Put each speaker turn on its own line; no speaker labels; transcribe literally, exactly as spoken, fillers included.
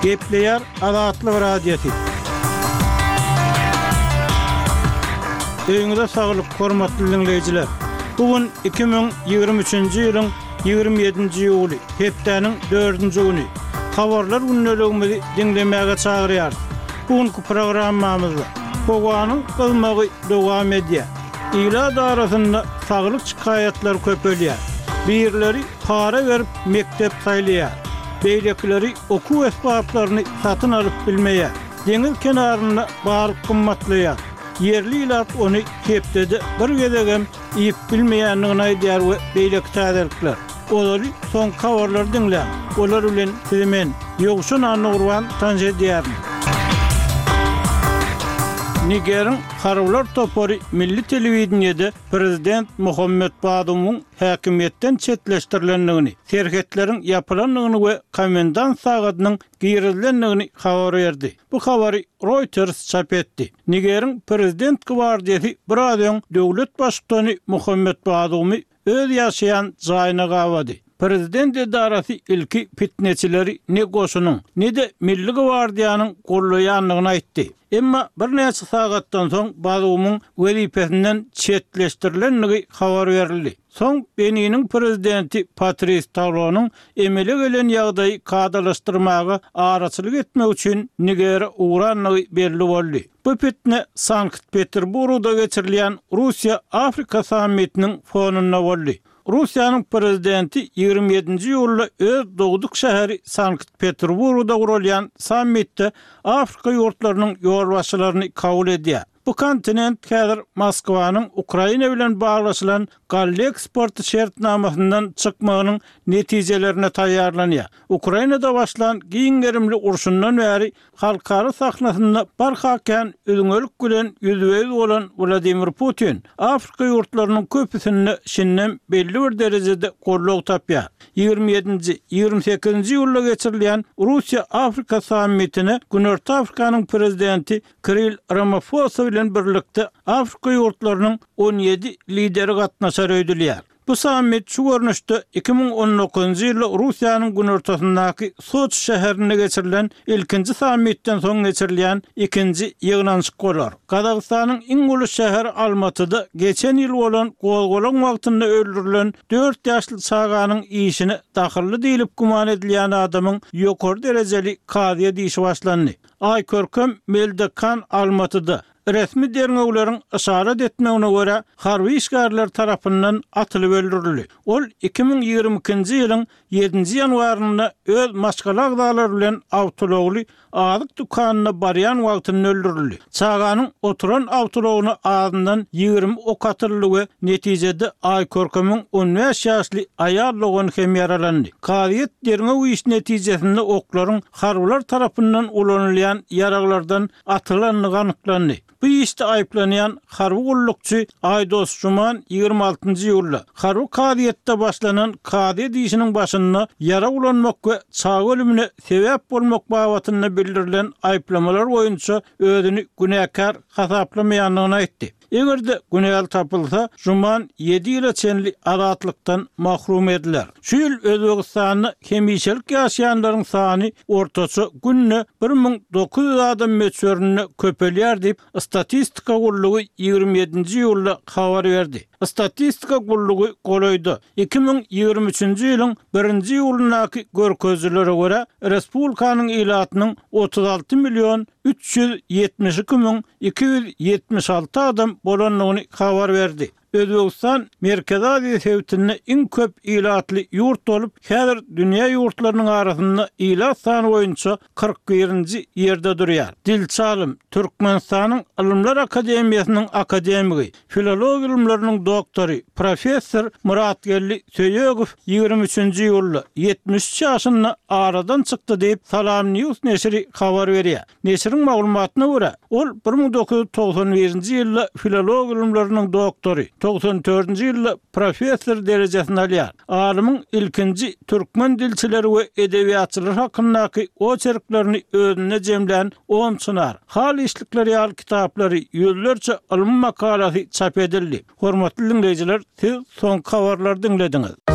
Gepleýär Azatlyk Radiosy. Öýüňize saglyk, hormatly diňleýjiler! Bu gün iki müň ýigrimi üçünji ýylyň ýigrimi ýedinji iýuly, hepdäniň dördünji güni. Habarlar gündeligimizi diňlemäge çagyrýarys. Bu günki programmamyzda howanyň gyzmagy dowam edýär. Ilat arasynda saglyk şikaýatlary köpelýär. Birleri para berip mekdep saýlaýar. Beýlekileri okuw esbaplaryny satyn alyp bilmeýär. Deňiz kenarynda balyk gymmatlaýar. Ýerli ilat ony hepdede bir gezegem iýip bilmeýändigini aýdýar we beýleki täzelikler. Ozaly soňky habarlary diňläň. Olar bilen sizi men, Ýowşan Annagurban tanyş edýärin. Nigeriň harbylar topary milli telewideniýede prezident Mohamed Bazumyň häkimiýetden çetleşdirilendigini, serhetleriň ýapylandygyny we komendant sagadynyň girizilendigini habar berdi. Bu habary Reuters çap etdi. Nigeriň prezident gwardiýasy biraz öň döwlet baştutany Mohamed Bazumy öz ýaşaýan jaýyna gabady. Prezident edarasy ilki fitneçileri ne goşunyň, ne-de milli gwardiýanyň gollaýandygyny aýtdy. Emma birnäçe sagatdan soň Bazumyň wezipesinden çetleşdirilendigi habar berildi. Soň Beniniň prezidenti Patris Talonyň emele gelen ýagdaýy kadalaşdyrmaga araçylyk etmek üçin Nigere ugrandygy belli boldy. Bu fitne Sankt-Peterburgda geçirilýän Russiýa-Afrika sammitiniň fonunda boldy. Russiýanyň prezidenti ýigrimi ýedinji iýulda öz dogduk şäheri Sankt-Peterburgda guralýan sammitde Afrika ýurtlarynyň ýolbaşçylaryny kabul edýär. Bu kontinent häzir Moskwanyň Ukraina bilen baglaşylan galla eksporty şertnamasyndan çykmagynyň netijelerine taýýarlanýar. Ukrainada başlan giň gerimli urşundan bäri halkara sahnasynda barha kän üzňelik bilen ýüzbe-ýüz bolan Wladimir Putin Afrika ýurtlarynyň köpüsinde şindem belli bir derejede goldaw tapýar. Ýigrimi ýedinji, ýigrimi sekizinji iýulda geçirilýän Russiýa-Afrika sammitine Günorta Afrikanyň prezidenti Kiril Ramafosa bilen birlikde Afrika ýurtlarynyň on ýedi lideri gatnaşar öýdülýär. Bu sammit şu görnüşde iki müň on dokuzynjy ýylda Russiýanyň günortasyndaky Soçi şäherinde geçirilen ilkinji sammitden soň geçirilýän ikinji ýygnanyşyk bolar. Gazagystanyň iň uly şäheri Almatyda geçen ýyl bolan gozgalaň wagtynda öldürilen dört ýaşly çaganyň işine dahylly diýlip güman edilýän adamyň ýokary derejeli kazyýet işi başlandy. Aýkörkem Meldekan Almatyda resmi derňewleriň yşarat etmegine görä, harby işgärler tarapyndan atylyp öldürildi. Ol iki müň ýigrimi ikinji ýylyň ýedinji ýanwarynda öz maşgala agzalary bilen awtoulagly azyk dükanyna barýan wagtynda öldürildi. Çaganyň oturan awtoulagyna azyndan ýigrimi ok atyldy we netijede Aýkörkemiň on bäş ýaşly aýal dogany hem ýaralandy. Kazyýet derňew işi netijesinde oklaryň harbylar tarapyndan ulanylýan ýaraglardan atylandygy anyklandy. Bu işde aýyplanýan harby gullukçy Aýdos Juman ýigrimi altynjy iýulda harby kazyýetde başlanan kazyýet işiniň başynda ýarag ulanmak we çaga ölümine sebäp bolmak babatynda bildirilen aýyplamalar boýunça özüni günäkär hasaplamaýandygyny aýtdy. Eger-de günäli tapylsa, Juman ýedi ýyla çenli azatlykdan mahrum ediler. Şu ýyl Özbegistanda hemişelik ýaşaýanlaryň sany ortaça günde bir müň dokuz ýüz adam möçberinde köpelýär diýip, Statistika gullugy ýigrimi ýedinji iýulda habar berdi. Statistika gullugy golaýda, iki müň ýigrimi üçünji ýylyň birinji iýulyndaky görkezijilere görä, respublikanyň ilatynyň otuz alty million üç ýüz ýetmiş iki müň iki ýüz ýetmiş alty adam bolandygyny habar berdi. Özbegistan Merkezi Aziýa sebitinde iň köp ilatly ýurt bolup, häzir dünýä ýurtlarynyň arasynda ilat sany boýunça kyrk birinji ýerde durýar. Dilçi alym, Türkmenistanyň Ylymlar akademiýasynyň akademigi, filologiýa ylymlarynyň doktory, professor Myratgeldi Söýegow ýigrimi üçünji iýulda, ýetmiş üç ýaşynda aradan çykdy diýip, Salam News neşiri habar berýär. Neşiriň maglumatyna görä, ol bir müň dokuz ýüz togsan birinji ýylda filologiýa ylymlarynyň doktory, togsan dördünji ýylda professor derejesini alýar. Alymyň ilkinji türkmen dilçileri we edebiýatçylary hakyndaky oçerklerini özünde jemlän On çynar, Haly işlikleri ýaly kitaplary, ýüzlerçe ylmy makalasy çap edildi. Hormatly diňleýjiler, siz soňky habarlary diňlediňiz.